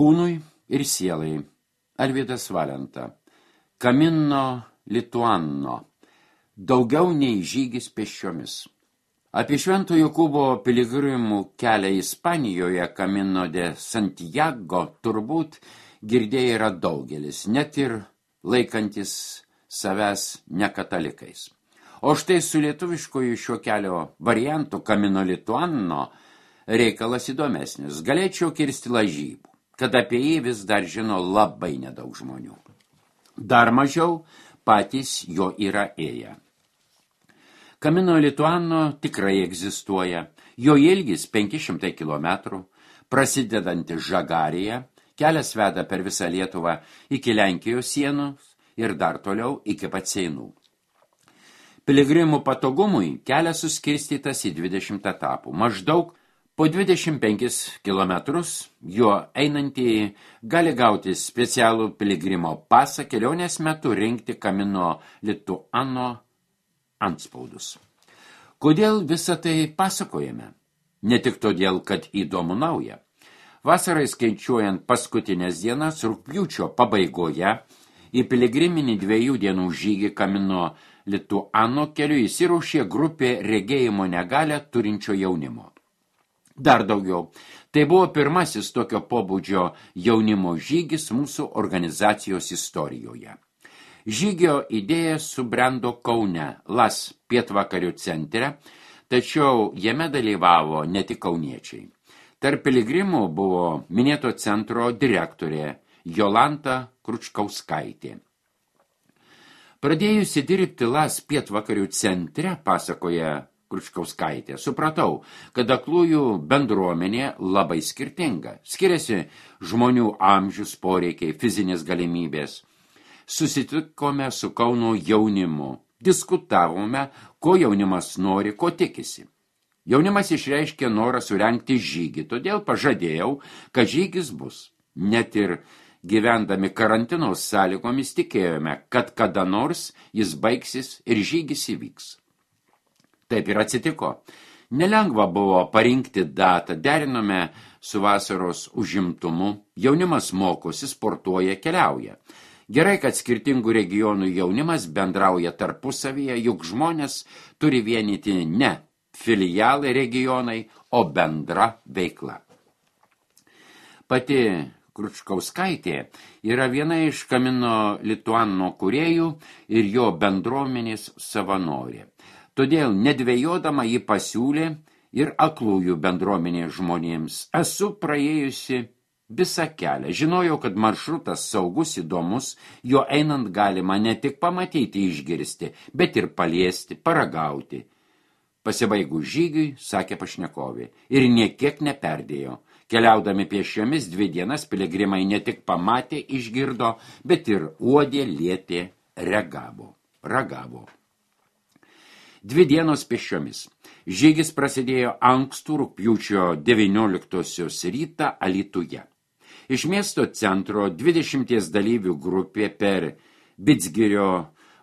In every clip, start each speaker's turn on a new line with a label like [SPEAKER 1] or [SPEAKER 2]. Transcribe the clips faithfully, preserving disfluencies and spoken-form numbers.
[SPEAKER 1] Kūnui ir sielai. Arvydas Valenta. Camino Lituano. Daugiau nei žygis pėsčiomis. Apie Švento Jokūbo piligrimų kelią Ispanijoje Camino de Santiago turbūt girdėję yra daugelis, net ir laikantis savęs nekatalikais. O štai su lietuviškoju šio kelio variantu Camino Lituano reikalas įdomesnis. Galėčiau kirsti lažybų, kad apie jį vis dar žino labai nedaug žmonių. Dar mažiau patys jo yra ėję. Camino Lituano tikrai egzistuoja. Jo ilgis penki šimtai kilometrų, prasidedantis Žagarėje, kelias veda per visą Lietuvą iki Lenkijos sienos ir dar toliau iki pat Seinų. Piligrimų patogumui kelias suskirstytas į dvidešimt etapų. Maždaug po dvidešimt penkis kilometrus juo einantieji gali gauti specialų piligrimo pasą kelionės metu rinkti Camino Lituano antspaudus. Kodėl visą tai pasakojame? Ne tik todėl, kad įdomu nauja. Vasarai skaičiuojant paskutinės dienas, rugpjūčio pabaigoje, į piligriminį dviejų dienų žygį Camino Lituano keliu įsiraušė grupė regėjimo negalią turinčio jaunimo. Dar daugiau, tai buvo pirmasis tokio pobūdžio jaunimo žygis mūsų organizacijos istorijoje. Žygio idėja subrendo Kaune, Las pietvakarių centre, tačiau jame dalyvavo ne tik kauniečiai. Tarp piligrimų buvo minėto centro direktorė Jolanta Kručkauskaitė. Pradėjusi dirbti Las pietvakarių centre, pasakoja Kručkauskaitė, supratau, kad aklųjų bendruomenė labai skirtinga. Skiriasi žmonių amžius, poreikiai, fizinės galimybės. Susitikome su Kauno jaunimu, diskutavome, ko jaunimas nori, ko tikisi. Jaunimas išreiškė norą surengti žygį, todėl pažadėjau, kad žygis bus. Net ir gyvendami karantinos sąlygomis tikėjome, kad kada nors jis baigsis ir žygis įvyks. Taip ir atsitiko. Nelengva buvo parinkti datą, derinome su vasaros užimtumu, jaunimas mokosi, sportuoja, keliauja. Gerai, kad skirtingų regionų jaunimas bendrauja tarpusavyje, juk žmonės turi vienyti ne filialai regionai, o bendra veikla. Pati Kručkauskaitė yra viena iš Camino Lituano kūrėjų ir jo bendruomenės savanorė. Todėl nedvejodama ji pasiūlė ir aklųjų bendruomenės žmonėms. Esu praėjusi visą kelią. Žinojau, kad maršrutas saugus, įdomus, jo einant galima ne tik pamatyti, išgirsti, bet ir paliesti, paragauti. Pasibaigus žygiui, sakė pašnekovė, ir niekiek neperdėjo. Keliaudami pėsčiomis dvi dienas piligrimai ne tik pamatė, išgirdo, bet ir uodė, lietė, regavo. Ragavo. Dvi dienos pėsčiomis. Žygis prasidėjo ankstų rugpjūčio devynioliktosios rytą Alytuje. Iš miesto centro dvidešimties dalyvių grupė per Vidzgirio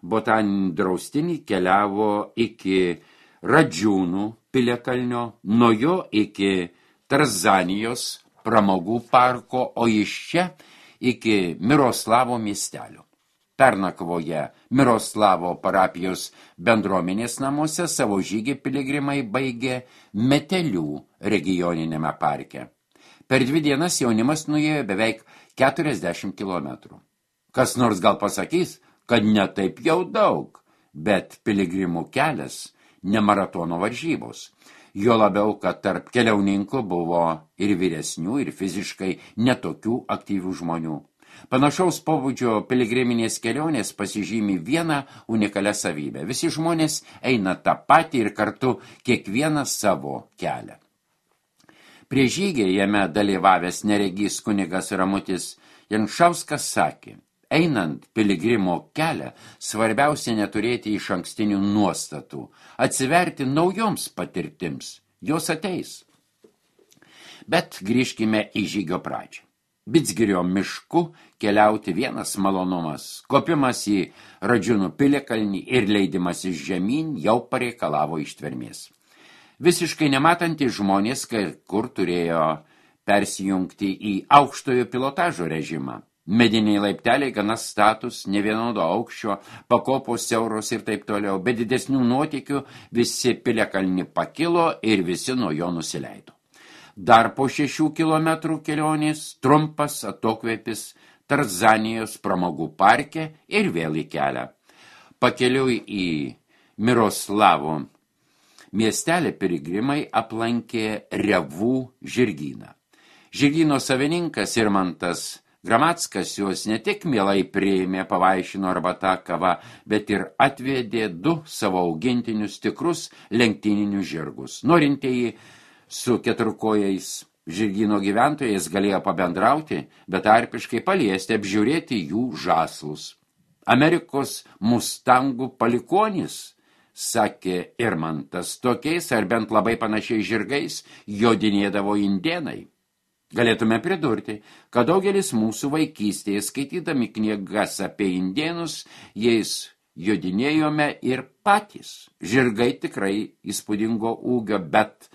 [SPEAKER 1] botaninį draustinį keliavo iki Radžiūnų piliakalnio, nuo jo iki Tarzanijos pramogų parko, o iš čia iki Miroslavo miestelio. Pernakvoje Miroslavo parapijos bendruomenės namuose savo žygį piligrimai baigė Metelių regioninėme parke. Per dvi dienas jaunimas nuėjo beveik keturiasdešimt kilometrų. Kas nors gal pasakys, kad ne taip jau daug, bet piligrimų kelias ne maratono varžybos. Jo labiau, kad tarp keliauninkų buvo ir vyresnių, ir fiziškai netokių aktyvių žmonių. Panašaus pobūdžio piligriminės kelionės pasižymi vieną unikalią savybę. Visi žmonės eina tą patį ir kartu kiekvieną savo kelią. Prie žygį jame dalyvavęs neregys kunigas Ramutis Janšauskas sakė, einant piligrimo kelią, svarbiausia neturėti iš ankstinių nuostatų, atsiverti naujoms patirtims, jos ateis. Bet grįžkime į žygio pradžią. Vidzgirio mišku keliauti vienas malonumas, kopimas į Radžiūnų piliakalnį ir leidimasis žemyn jau pareikalavo ištvermės. Visiškai nematantys žmonės, kai kur turėjo persijungti į aukštojo pilotažo režimą. Mediniai laipteliai gana status, nevienodo aukščio, pakopos siauros ir taip toliau, be didesnių nuotykių visi piliakalni pakilo ir visi nuo jo nusileido. Dar po šešių kilometrų kelionės trumpas atokvėpis Tarzanijos pramogų parke ir vėl į kelią. Pakeliui į Miroslavo miestelį piligrimai aplankė Revų žirgyną. Žirgyno savininkas Irmantas Gramackas juos ne tik mielai priėmė, pavaišino arbata kava, bet ir atvedė du savo augintinius tikrus lenktyninius žirgus. Norintieji su keturkojais žirgyno gyventojais galėjo pabendrauti, bet tarpiškai paliesti, apžiūrėti jų žąslus. Amerikos mustangų palikonis, sakė Irmantas, tokiais ar bent labai panašiais žirgais jodinėdavo indėnai. Galėtume pridurti, kad daugelis mūsų vaikystėje, skaitydami knygas apie indėnus, jais jodinėjome ir patys. Žirgai tikrai įspūdingo ūgio, bet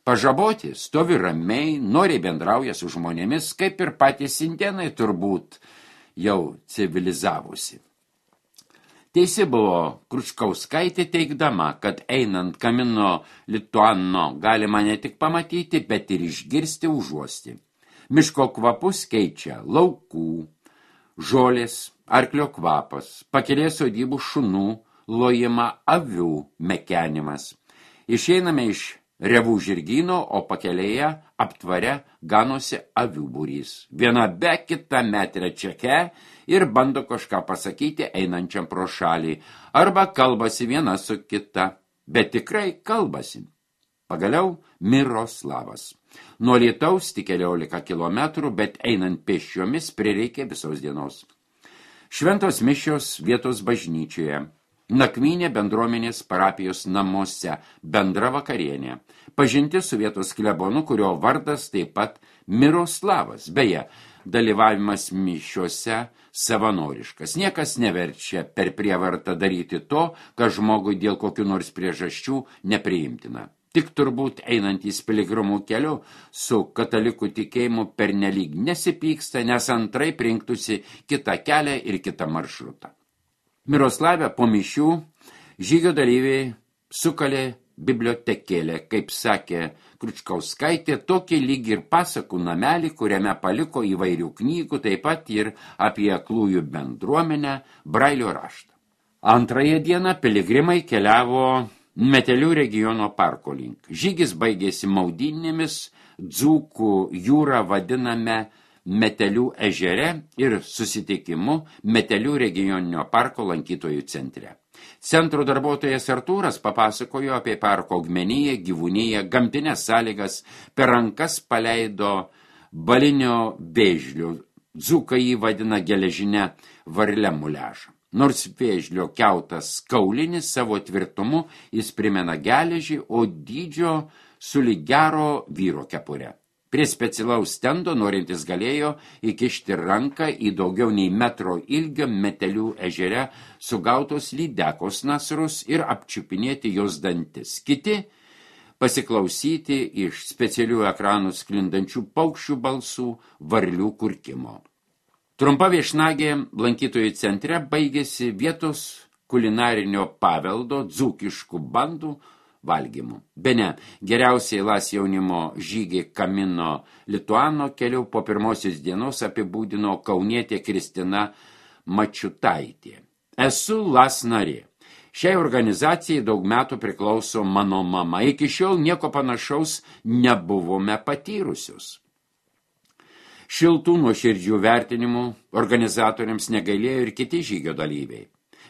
[SPEAKER 1] pažaboti stovi ramiai, noriai bendrauja su žmonėmis, kaip ir patys indėnai turbūt jau civilizavusi. Teisi buvo Kručkauskaitė teigdama, kad einant Kamino Lituano galima ne tik pamatyti, bet ir išgirsti, užuosti. Miško kvapus keičia laukų, žolės, arklio kvapas, pakelės sodybų šunų, lojima avių mekenimas. Išeiname iš Revų žirgyno, o pakelėje aptvare ganosi avių būrys. Viena be kita metria čeke ir bando kažką pasakyti einančiam pro šalį, arba kalbasi viena su kita, bet tikrai kalbasi. Pagaliau Miroslavas. Nuo Lietaus tik keliolika kilometrų, bet einant pėsčiomis prireikė visos dienos. Šventos mišios vietos bažnyčioje. Nakvynė bendruomenės parapijos namuose, bendra vakarienė. Pažinti su vietos klebonu, kurio vardas taip pat Miroslavas. Beje, dalyvavimas mišiuose savanoriškas. Niekas neverčia per prievartą daryti to, kas žmogui dėl kokių nors priežasčių nepriimtina. Tik turbūt einantys piligrimų keliu su katalikų tikėjimu pernelyg nesipyksta, nes antrai rinktųsi kitą kelią ir kitą maršrutą. Miroslavę po mišių žygio dalyviai sukalė bibliotekėlę, kaip sakė Kručkauskaitė, tokį lyg ir pasakų namelį, kuriame paliko įvairių knygų, taip pat ir apie aklųjų bendruomenę, Brailio raštą. Antrąją dieną piligrimai keliavo Metelių regiono parko link. Žygis baigėsi maudynėmis, Dzūkų jūrą vadiname Metelių ežere ir susitikimu Metelių regioninio parko lankytojų centre. Centro darbuotojas Artūras papasakojo apie parko augmeniją, gyvūniją, gamtinės sąlygas, per rankas paleido balinio vėžlių. Dzūkai jį vadina geležinę varlę muliažą. Nors vėžlio kiautas kaulinis savo tvirtumu jis primena geležį, o dydžio sulig gero vyro kepurę. Prie specialaus stendo norintis galėjo įkišti ranką į daugiau nei metro ilgio Metelių ežere sugautos lydekos nasrus ir apčiupinėti jos dantis. Kiti pasiklausyti iš specialių ekranų sklindančių paukščių balsų, varlių kurkimo. Trumpa viešnagė lankytojų centre baigėsi vietos kulinarinio paveldo dzūkiškų bandų valgymu. Bene, geriausiai las jaunimo žygį Kamino Lituano keliu po pirmosios dienos apibūdino kaunietė Kristina Mačiutaitė. Esu las narė. Šiai organizacijai daug metų priklauso mano mama. Iki šiol nieko panašaus nebuvome patyrusius. Šiltų nuoširdžių vertinimų organizatoriams negailėjo ir kiti žygio dalyviai.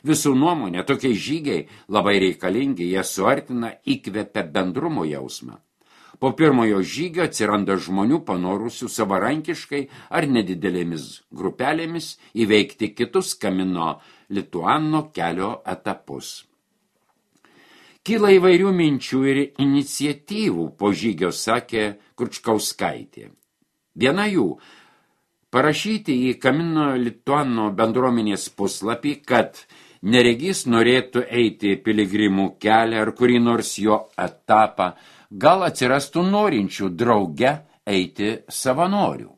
[SPEAKER 1] Visų nuomonė, tokie žygiai labai reikalingi, jie suartina, įkvepia bendrumo jausmą. Po pirmojo žygio atsiranda žmonių panorusių savarankiškai ar nedidelėmis grupelėmis įveikti kitus Kamino Lituano kelio etapus. Kyla įvairių minčių ir iniciatyvų po žygio, sakė Kručkauskaitė. Viena jų – parašyti į Kamino Lituano bendruomenės puslapį, kad neregys norėtų eiti piligrimų kelią ar kurį nors jo etapą, gal atsirastų norinčių drauge eiti savanorių.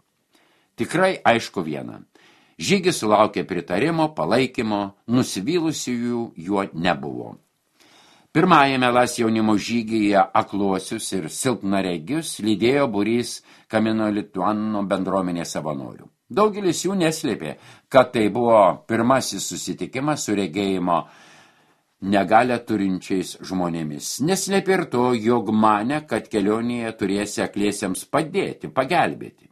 [SPEAKER 1] Tikrai aišku viena. Žygis sulaukė pritarimo, palaikymo, nusivylusiųjų juo nebuvo. Pirmajame Las jaunimo žygyje akluosius ir silpnaregius lydėjo būrys Camino Lituano bendruomenės savanorių. Daugelis jų neslėpė, kad tai buvo pirmasis susitikimas su regėjimo negalę turinčiais žmonėmis. Neslėpė ir to, jog mane, kad kelionėje turėsi akliesiems padėti, pagelbėti.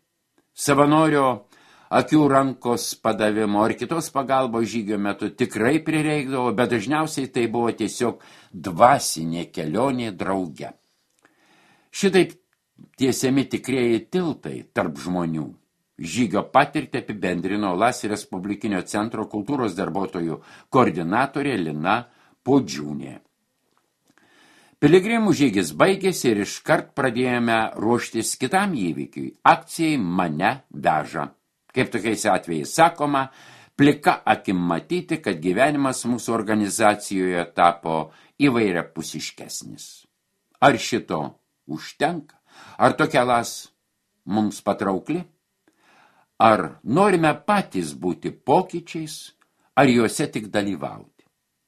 [SPEAKER 1] Savanorio akių rankos padavimo ar kitos pagalbos žygio metu tikrai prireikdavo, bet dažniausiai tai buvo tiesiog dvasinė kelionė drauge. Šitaip tiesiami tikrieji tiltai tarp žmonių. Žygio patirtį apibendrino Las Respublikinio centro kultūros darbuotojų koordinatorė Lina Podžiūnė. Piligrimų žygis baigėsi ir iškart pradėjome ruoštis kitam įvykiui – akcijai Mane veža. Kaip tokiais atvejais sakoma, plika akim matyti, kad gyvenimas mūsų organizacijoje tapo įvairiapusiškesnis. Ar šito užtenka? Ar tokia Las mums patraukli? Ar norime patys būti pokyčiais, ar juose tik dalyvauti?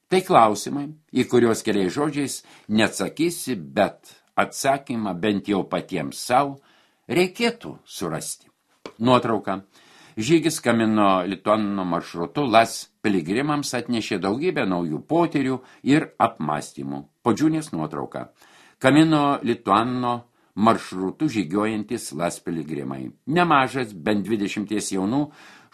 [SPEAKER 1] Tai klausimai, į kurios keliais žodžiais neatsakysi, bet atsakymą bent jau patiems savo reikėtų surasti. Nuotrauka. Žygis Camino Lituano maršrutu Las piligrimams atnešė daugybę naujų potyrių ir apmąstymų. Podžiūnės nuotrauka. Camino Lituano maršrutu žygiuojantis Las piligrimai. Nemažas, bent dvidešimties jaunų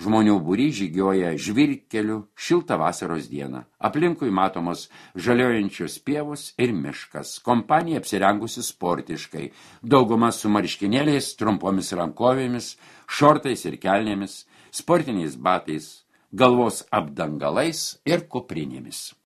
[SPEAKER 1] žmonių būry žygioja žvyrkeliu šiltą vasaros dieną. Aplinkui matomos žaliojančios pievos ir miškas. Kompanija apsirengusi sportiškai. Dauguma su marškinėliais, trumpomis rankovėmis, šortais ir kelnėmis, sportiniais batais, galvos apdangalais ir kuprinėmis.